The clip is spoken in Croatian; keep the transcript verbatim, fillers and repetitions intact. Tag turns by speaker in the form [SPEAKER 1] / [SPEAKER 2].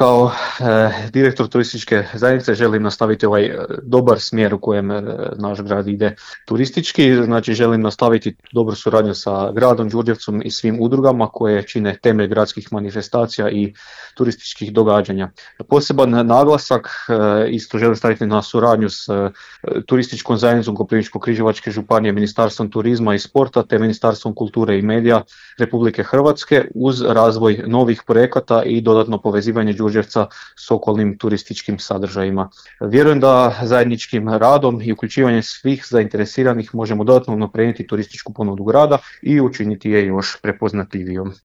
[SPEAKER 1] kao e, direktor turističke zajednice želim nastaviti ovaj e, dobar smjer u kojem e, naš grad ide turistički. Znači želim nastaviti dobru suradnju sa gradom Đurđevcom i svim udrugama koje čine temelj gradskih manifestacija i turističkih događanja. Poseban naglasak e, isto želim staviti na suradnju s e, turističkom zajednicom Koprivničko-križevačke županije, Ministarstvom turizma i sporta te Ministarstvom kulture i medija Republike Hrvatske uz razvoj novih projekata i dodatno povezivanje Đurđevca s okolnim turističkim sadržajima. Vjerujem da zajedničkim radom i uključivanjem svih zainteresiranih možemo dodatno unaprijediti turističku ponudu grada i učiniti je još prepoznatljivijom.